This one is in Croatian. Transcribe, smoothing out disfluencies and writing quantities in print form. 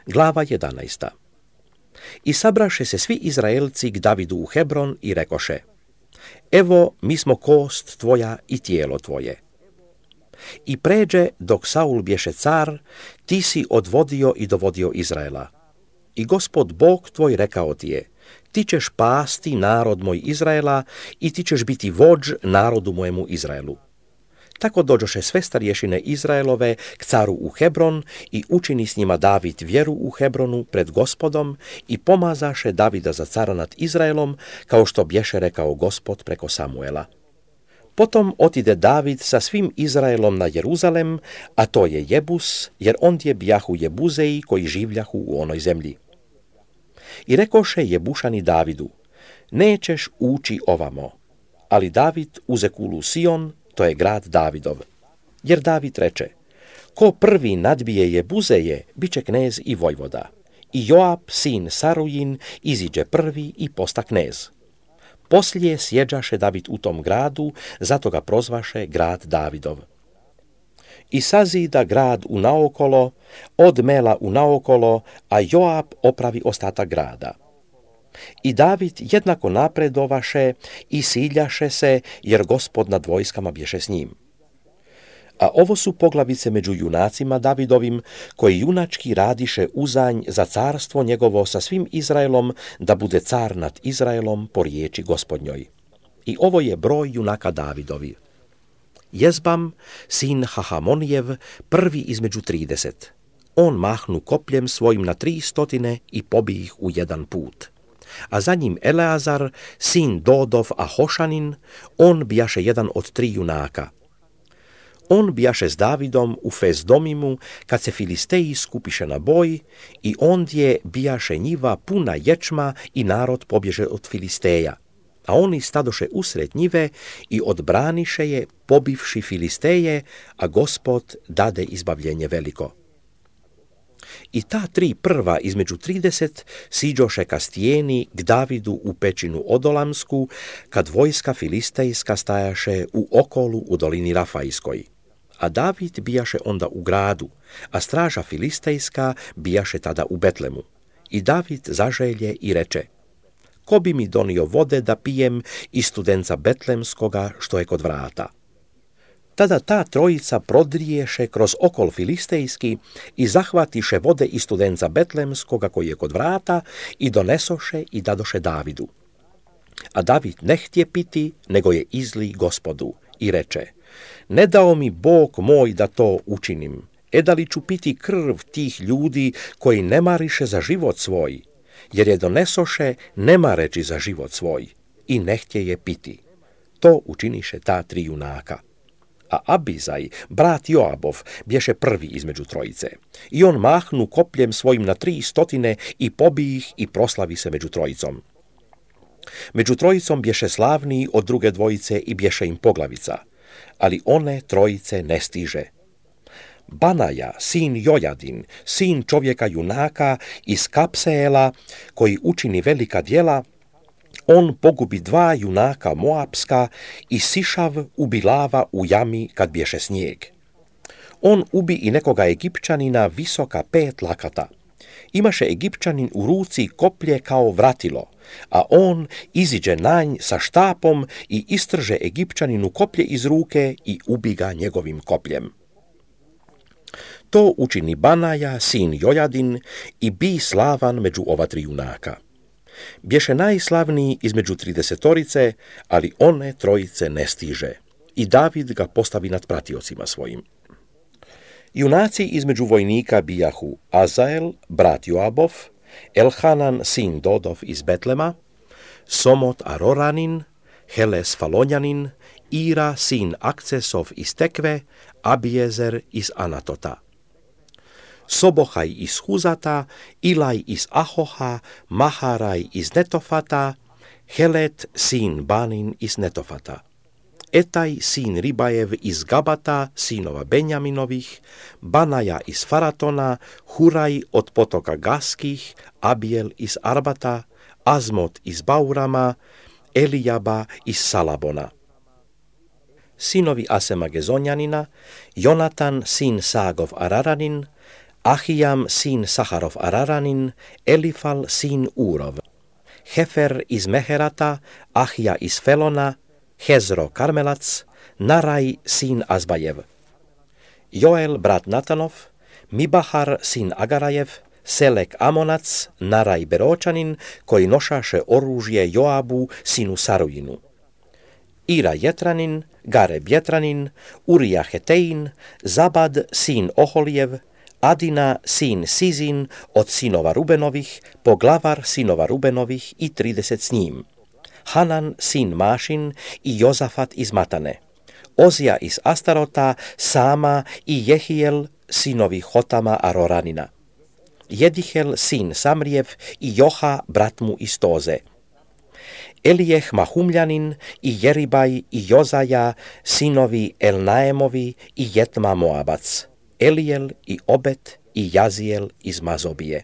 Glava 11. I sabraše se svi Izraelci k Davidu u Hebron i rekoše: Evo, mi smo kost tvoja i tijelo tvoje. I pređe, dok Saul bješe car, ti si odvodio i dovodio Izraela. I Gospod Bog tvoj rekao ti je: ti ćeš pasti narod moj Izraela i ti ćeš biti vođ narodu mojemu Izraelu. Tako dođoše sve starješine Izraelove k caru u Hebron i učini s njima David vjeru u Hebronu pred Gospodom i pomazaše Davida za cara nad Izraelom, kao što bješe rekao Gospod preko Samuela. Potom otide David sa svim Izraelom na Jeruzalem, a to je Jebus, jer ondje bijahu Jebuzeji koji življahu u onoj zemlji. I rekoše Jebušani Davidu: nećeš ući ovamo. Ali David uze kulu Sion, to je grad Davidov. Jer David reče: ko prvi nadbije Jebuzeje, bit će knez i vojvoda. I Joab, sin Sarujin, iziđe prvi i posta knez. Poslije sjeđaše David u tom gradu, zato ga prozvaše grad Davidov. I sazida grad unaokolo, od Mela unaokolo, a Joab opravi ostatak grada. I David jednako napredovaše i siljaše se, jer Gospod nad vojskama bješe s njim. A ovo su poglavice među junacima Davidovim, koji junački radiše uzanj za carstvo njegovo sa svim Izraelom, da bude car nad Izraelom po riječi Gospodnjoj. I ovo je broj junaka Davidovi. Jezbam, sin Hahamonijev, prvi između 30. On mahnu kopljem svojim na 300 i pobi ih u jedan put. A za njim Eleazar, sin Dodov Ahošanin, on bijaše jedan od 3 junaka. On bijaše s Davidom u Fezdomimu, kad se Filisteji skupiše na boj, i ondje bijaše njiva puna ječma i narod pobježe od Filisteja. A oni stadoše usred njive i odbraniše je, pobivši Filisteje, a Gospod dade izbavljenje veliko. I ta 3 prva između 30 siđoše ka stijeni k Davidu u pećinu Odolamsku, kad vojska filistejska stajaše u okolu u dolini Rafajskoj. A David bijaše onda u gradu, a straža filistejska bijaše tada u Betlemu. I David zaželje i reče: ko bi mi donio vode da pijem iz studenca Betlemskoga što je kod vrata? Tada ta trojica prodriješe kroz okol filistejski i zahvatiše vode iz studenca Betlemskoga koji je kod vrata i donesoše i dadoše Davidu. A David ne htje piti, nego je izli Gospodu i reče: ne dao mi Bog moj da to učinim, da li ću piti krv tih ljudi koji ne mariše za život svoj, jer je donesoše ne mareći za život svoj i ne htje je piti. To učiniše ta 3 junaka. A Abizaj, brat Joabov, bješe prvi između trojice. I on mahnu kopljem svojim na 300 i pobi ih i proslavi se među trojicom. Među trojicom bješe slavniji od druge dvojice i bješe im poglavica, ali one trojice ne stiže. Banaja, sin Jojadin, sin čovjeka junaka iz Kapseela, koji učini velika djela, on pogubi 2 junaka Moapska i Sišav ubi lava u jami kad bješe snijeg. On ubi i nekoga Egipćanina visoka 5 lakata. Imaše Egipćanin u ruci koplje kao vratilo, a on iziđe na nj sa štapom i istrže Egipćaninu koplje iz ruke i ubi ga njegovim kopljem. To učini Banaja, sin Jojadin, i bi slavan među ova 3 junaka. Bješe najslavniji između 30-torice, ali one trojice ne stiže. I David ga postavi nad pratiocima svojim. Junaci između vojnika bijahu Azael, brat Joabov, Elhanan, sin Dodov iz Betlema, Somot Aroranin, Heles Falonjanin, Ira, sin Akcesov iz Tekve, Abiezer iz Anatota. Sobohaj iz Huzata, Ilaj iz Ahoha, Maharaj iz Netofata, Helet, sin Banin iz Netofata. Etaj, sin Ribajev iz Gabata, sinova Benjaminovih, Banaja iz Faratona, Huraj od potoka Gaskih, Abiel iz Arbata, Azmot iz Baurama, Elijaba iz Salabona. Sinovi Asema Gezonjanina, Jonatan, sin Sagov Araranin, Ahijam sin Saharov Araranin, Elifal sin Úrov, Hefer iz Meherata, Ahija iz Felona, Hezro Karmelac, Naraj sin Azbajev, Joel brat Natanov, Mibahar sin Agarajev, Selek Amonac, Naraj Beročanin, koji nošaše oružje Joabu sinu Sarujinu, Ira Jetranin, Gareb Jetranin, Urija Hetein, Zabad sin Oholijev, Adina sin Sizin od sinova Rubenovih, poglavar sinova Rubenovih i 30 s njim, Hanan sin Mašin i Jozafat iz Matane, Ozija iz Astarota, Sama i Jehijel sinovi Hotama Aroranina, Jedihel sin Samrijev i Joha brat mu iz Toze, Elijeh Mahumljanin i Jeribaj i Jozaja sinovi Elnaemovi i Jetma Moabac, Elijel i Obet i Jazijel iz Mazobije.